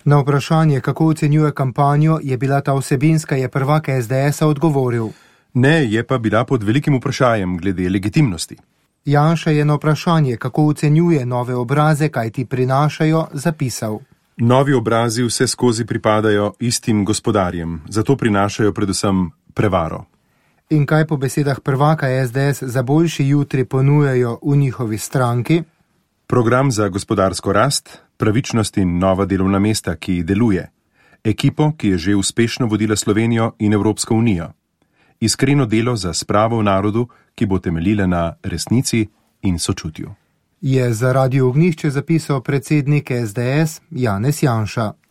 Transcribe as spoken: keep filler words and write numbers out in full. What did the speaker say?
Na vprašanje, kako ocenjuje kampanjo, je bila ta vsebinska, je prvak es de esa odgovoril. Ne, je pa bila pod velikim vprašanjem glede legitimnosti. Janša je na vprašanje, kako ocenjuje nove obraze, kaj ti prinašajo, zapisal. Novi obrazi vse skozi pripadajo istim gospodarjem, zato prinašajo predvsem prevaro. In kaj po besedah prvaka es de es za boljši jutri ponujajo v njihovi stranki? Program za gospodarsko rast, pravičnost in nova delovna mesta, ki deluje. Ekipo, ki je že uspešno vodila Slovenijo in Evropsko unijo. Iskreno delo za spravo v narodu, ki bo temeljila na resnici in sočutju. Je za Radio Ognjišče zapisal predsednik es de es Janez Janša.